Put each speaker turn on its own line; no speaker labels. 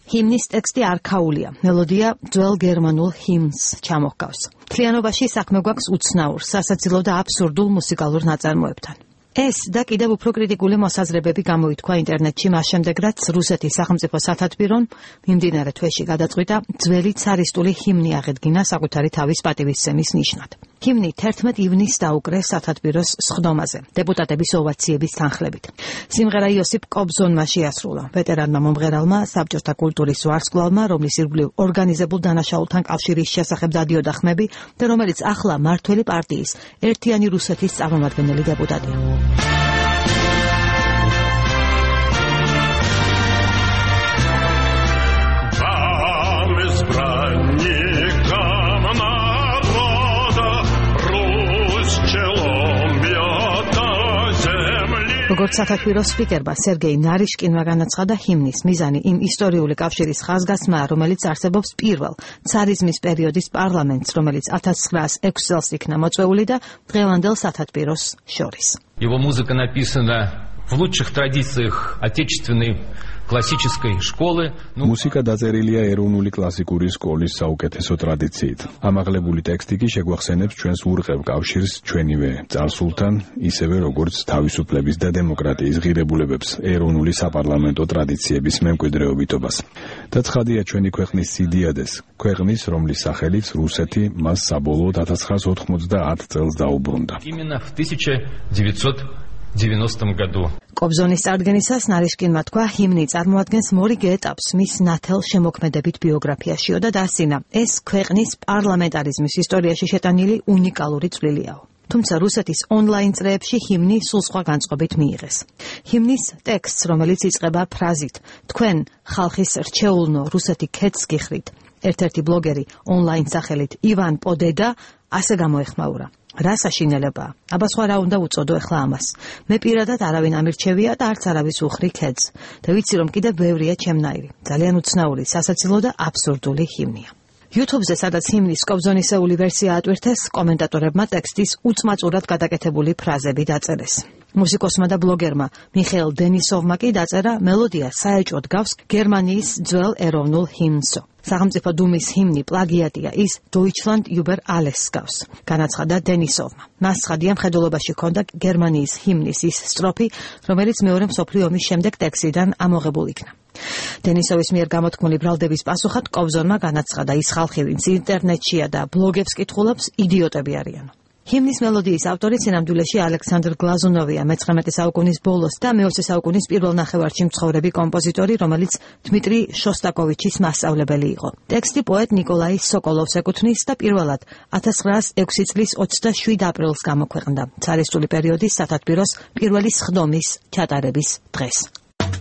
ჰიმნის ტექსტი არქაულია, მელოდია ძველ გერმანულ ჰიმნს ჩამოჰგავს. მთლიანობაში საქმე გვაქვს უცნაურ, სასაცილო და აბსურდულ მუსიკალურ ნაწარმოებთან. ეს და კიდევ უფრო კრიტიკული მოსაზრებები გამოითქვა ინტერნეტში მას შემდეგ, რაც რუსეთის სახელმწიფო სათათბირომ მიმდინარე თვეში გადაწყვიტა ძველი ცარისტული ჰიმნი აღედგინა საკუთარი თავის პატივისცემის ნიშნად. ჰიმნი 11 ივნისს დაუკრეს სათათბიროს სხდომაზე, დეპუტატების ოვაციების თანხლებით. სიმღერა იოსიპ კობზონმა შეასრულა, ვეტერანმა მომღერალმა, საბჭოთა კულტურის ვარსკვლავმა, რომლის ირგვლივ ორგანიზებულ დანაშაულთან კავშირის შესახებ დადიოდა ხმები და რომელიც ახლა მმართველი პარტიის ერთიანი რუსეთის წარმომადგენელი დეპუტატია. როგორც სათათბიროს სპიკერმა სერგეი ნარიშკინმა განაცხადა, ჰიმნის მიზანი იმ ისტორიული კავშირის ხაზგასმაა, რომელიც არსებობს პირველ ცარიზმის პერიოდის პარლამენტს, რომელიც 1906 წელს იქნა მოწვეული და დღევანდელ სათათბიროს შორის.
Его музыка написана в лучших традициях отечественной классической школы.
Музыка დაწერილია ეროვნული კლასიკური სკოლის საუკეთესო ტრადიციით. ამაღლებული ტექსტი კი შეგვახსენებს ჩვენს ურყევ კავშირს ჩვენივე წარსულთან, ისევე როგორც თავისუფლების და დემოკრატიის ღირებულებებს, ეროვნული საპარლამენტო ტრადიციების მემკვიდრეობითობას. და ცხადია ჩვენი ქვეყნის სიდიადეს, ქვეყნის, რომლის სახელით რუსეთი მას საბოლოოდ 1990 წელს დაუბრუნდა.
Именно в 1990 году.
კობზონის წარდგენისას ნარიშკინმა თქვა, ჰიმნი წარმოადგენს მორიგ ეტაპს მის ნათელ შემოქმედებით ბიოგრაფიაშიო და დასცინა, ეს ქვეყნის პარლამენტარიზმის ისტორიაში შეტანილი უნიკალური წვლილია. თუმცა რუსეთის ონლაინ წრეებში ჰიმნი სულ სხვა განწყობით მიიღეს. ჰიმნის ტექსტს, რომელიც იწყება ფრაზით თქვენ ხალხის რჩეულნო რუსეთი ქედს გიხრით, ერთ-ერთი ბლოგერი ონლაინ სახელით ივან პოდედა ასე გამოეხმაურა. რა საშინელებაა? აბა სხვა რა უნდა უწოდო ახლა ამას? მე პირადად არავინ ამირჩევია და არც არავის უხრი ქედს. და ვიცი რომ კიდევ ბევრია ჩემნაირი. ძალიან უცნაური, სასაცილო და აბსურდული ჰიმნია. YouTube-ზე, სადაც ჰიმნის კობზონისეული ვერსია ატვირთეს, კომენტატორებმა ტექსტის უწმაწურად გადაკეთებული ფრაზები დაწერეს. მუსიკოსმა და ბლოგერმა მიხეილ დენისოვმა კი დაწერა მელოდია საეჭვოდ გავს გერმანიის ძველ ეროვნულ ჰიმნსო. სახელმწიფო დუმის ჰიმნი პლაგიატია, ის Deutschland über alles გავს, განაცხადა დენისოვმა. მას ცხადია მხედველობაში ჰქონდა გერმანიის ჰიმნის ის სტროფი, რომელიც მეორე მსოფლიო ომის შემდეგ ტექსტიდან ამოღებულ იქნა. დენისოვის მიერ გამოთქმული ბრალდების პასუხად კობზონმა განაცხადა, ის ხალხი, ვინც ინტერნეტშია და ბლოგებს კითხულობს, იდიოტები არიან. ჰიმნის მელოდიის ავტორი სინამდვილეში ალექსანდრ გლაზუნოვია, მე-19 საუკუნის ბოლოს და მე-20 საუკუნის პირველ ნახევარში მცხოვრები კომპოზიტორი, რომელიც დმიტრი შოსტაკოვიჩის მასწავლებელი იყო. ტექსტი პოეტ ნიკოლაი სოკოლოვს ეკუთვნის და პირველად 1906 წლის 27 აპრილს გამოქვეყნდა, ცარისტული პერიოდის სათათბიროს პირველი სხდომის ჩატარების დღეს.